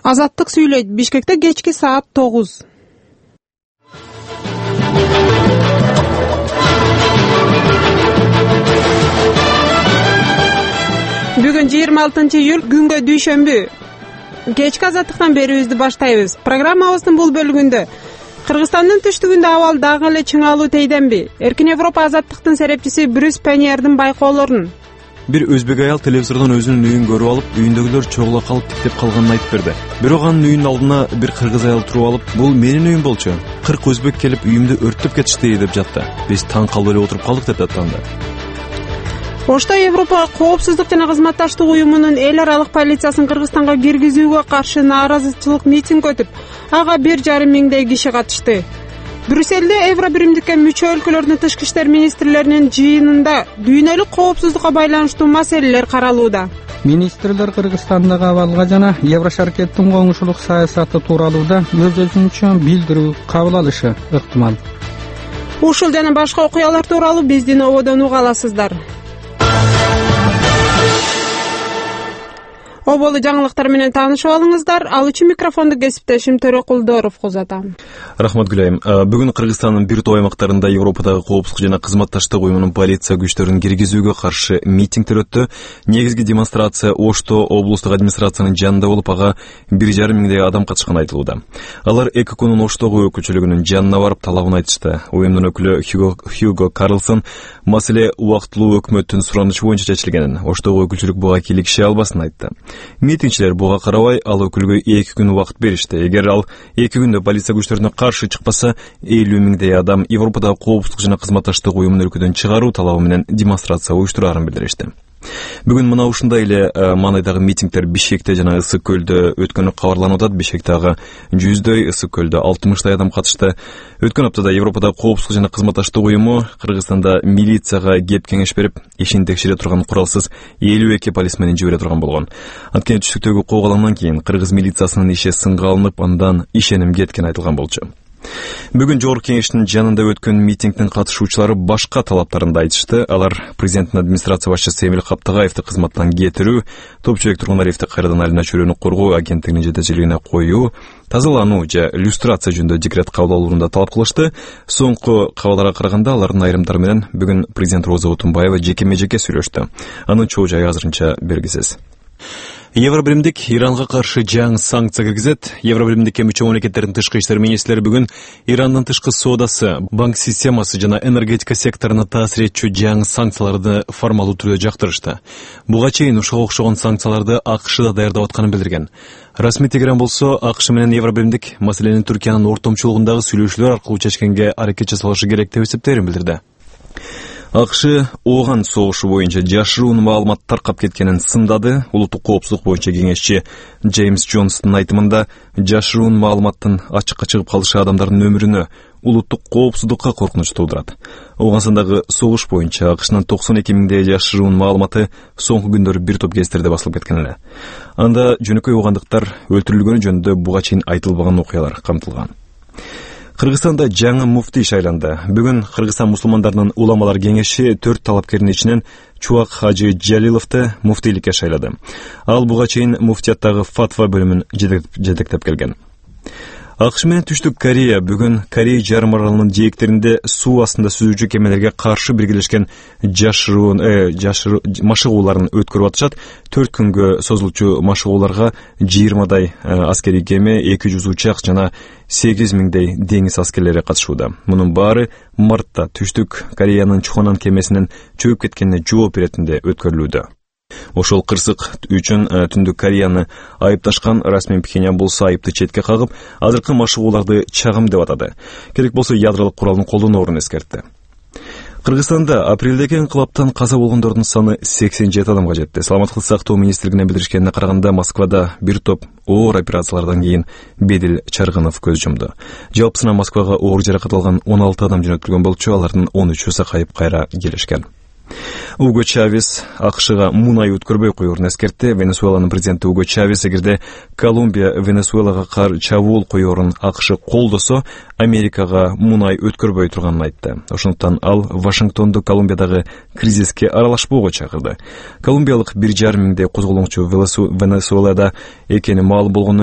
Азаттык сүйлөйт. Бишкекте кечки саат 9. Бүгүн 26-июль күнгө дүйшөмбү. Кечки азаттыктан берүүбүздү баштайбыз. Программабыздын бул бөлүгүндө Кыргызстандын түштүгүндө абал дагы эле чыңалуу тейденби? Эркин Европа азаттыктын серепчиси Брюс Пеньердин байкоолорун. Бир өзбек аял телевизордон өзүнүн үйүн көрүп алып, үйүндөгүлөр чогула калып тиктеп калганын айтып берди. Бирок анын үйүнүн алдына бир кыргыз аял туруп алып, "Бул менин үйүм болчу. 40 өзбек келип үйүмдү өрттөп кетишти" деп жатты. Биз таң калып эле отуруп калдык деп аттанды. Ошто Европа коопсуздук жана кызматташтык уюмунун эл аралык полициясын Кыргызстанга киргизүүгө каршы нааразычылык митинг өтүп, ага 1,5 миңдей киши катышты. Брюсселде Евробиримдикке мүчө өлкөлөрдүн тышкы иштер министрлеринин жыйынында дүйнөлүк коопсуздукка байланыштуу маселелер каралууда. Министрлер Кыргызстандагы абалга жана Еврошаркеттин коңшулук саясаты тууралууда өз-өзүнчө билдирүү кабыл алышы ыктымал. Ушул жана башка окуялар тууралуу биздин ободон уга аласыздар. Оболу жаңылыктар менен таанышып алыңыздар. Ал үчүн микрофонду кесиптешим Төрөкулдоров узатам. Рахмат Гүлайым. Бүгүн Кыргызстандын бир топ аймактарында Европадагы коопсуздук жана кызматташтык уюмунун полиция күчтөрүн киргизүүгө каршы митингдер өттү. Негизги демонстрация Ошто облустук администрациянын жанында болуп, ага 1,5 миңдей адам катышканы айтылууда. Алар ЭККнун Оштогу өкүлчүлүгүнүн жанына барып талабын айтышты. Уюмдун өкүлү Хьюго Карлсон маселе убактылуу өкмөттүн суранычы боюнча чечилгенин, Оштогу өкүлчүлүк буга кийлигише албасын айтты. Митингчилер буга карабай ал өкүлгө 2 күн убакыт беришти. Эгер ал 2 күндө полиция күчтөрүнө каршы чыкпаса, 50 миңдей адам Европадагы коопсуздук жана кызматташтык уюмун өлкөдөн чыгаруу талабы менен демонстрация уюштураарын билдиришти. Бүгүн мына ушундай эле маанайдагы митингдер Бишкекте жана Ысык көлдө өткөнү кабарланып атат. Бишкектеги 100дөй, Ысык көлдө 60дай адам катышты. Өткөн аптада Европадагы коопсуздук жана кызматташтык уюму Кыргызстанда милицияга кеп кеңеш берип, ишин текшере турган куралсыз 52 полисменин жибере турган болгон. Анткени түштүктөгү коогаламдан кийин кыргыз милициясынын иши сынга алынып, андан ишеним кеткени айтылган болчу. Бүгүн Жогорку кеңештин жанында өткөн митингдин катышуучулары башка талаптарын да айтышты. Алар президенттин администрация башчысы Эмил Каптагаевди кызматтан кетирүү, Топчубек Тургунариевди кайрадан Айлана чөйрөнү коргоо агенттигинин жетекчилигине коюу, тазалануу же люстрация жөнүндө декрет кабыл алууну талап кылышты. Соңку кабарларга караганда алардын айрымдары менен бүгүн президент Роза Отунбаева жекеме-жеке сүйлөштү. Анын чоо жайы азырынча белгисиз. Евробиримдик Иранга каршы жаңы санкция киргизет. Евробиримдикке мүчө мамлекеттердин тышкы иштер министрлери бүгүн Ирандын тышкы соодасы, банк системасы жана энергетика секторуна таасир этчү жаңы санкцияларды формалдуу түрдө жактырышты. Буга чейин ушуга окшогон санкцияларды АКШ да даярдап атканын билдирген. Расмий Тегеран болсо АКШ менен Евробиримдик маселени Түркиянын ортомчулугундагы сүйлөшүүлөр аркылуу чечкенге аракет жасалышы керек деп эсептеерин билдирди. АКШ ооган согушу боюнча жашыруун маалымат таркап кеткенин сындады. Улуттук коопсуздук боюнча кеңешчи Джеймс Джонстун айтымында, жашыруун маалыматтын ачыкка чыгып калышы адамдардын өмүрүнө, улуттук коопсуздукка коркунуч туудурат. Оогансындагы согуш боюнча АКШнын 92 миңдей жашыруун маалыматы соңку күндөрү бир топ гезитерде басылып кеткен эле. Анда жөнөкөй оогандыктар өлтүрүлгөнү жөнүндө буга чейин айтылбаган окуялар камтылган. Кыргызстанда жаңы муфтий шайланды. Бүгүн Кыргызстан мусулмандарынын уламалар кеңеши 4 талапкердин ичинен Чубак Хажы Жалиловду муфтийликке шайлады. Ал буга чейин муфтияттагы фатва бөлүмүн жетектеп келген. АКШ менен Түштүк Корея бүгүн Корей жарым аралынын жээктеринде суу астында сүзүүчү кемелерге каршы биргелешкен жашыруун машыгууларын өткөрүп атышат. 4 күнгө созулчу машыгууларга 20дай аскерий кеме, 200 учак жана 8 миңдей деңиз аскерлери катышууда. Мунун баары мартта Түштүк Кореянын Чухонан кемесинин чөгүп кеткенине жооп беретинде өткөрүлүүдө. Ошол кырсык үчүн Түндүк Кореяны айыпташкан расмий Пхеньян болсо айыпты четке кагып, азыркы машыгууларды чагым деп атады. Керек болсо ядролук куралын колдоноорун эскертти. Кыргызстанда апрелдеги инкылаптан каза болгондордун саны 87 адамга жетти. Саламаттык сактоо министрлигине билдиришкенине караганда, Москвада бир топ оор операциялардан кийин Бедил Чаргынов көз жумду. Жалпысынан Москвага оор жаракат алган 16 адам жөнөтүлгөн болчу, алардын 13-ü сакайып кайра келишкен. Уго Чавес АКШга мунай өткөрбөй коюурун эскертти. Венесуэланын президенти Уго Чавес эгерде Колумбия Венесуэлага чабуул коюурун АКШ колдосо, Америкага мунай өткөрбөй турганын айтты. Ошондуктан ал Вашингтонду Колумбиядагы кризиске аралашпоого чакырды. Колумбиялык 1,5 миңдей козголоңчу Венесуэлада экени маалым болгондон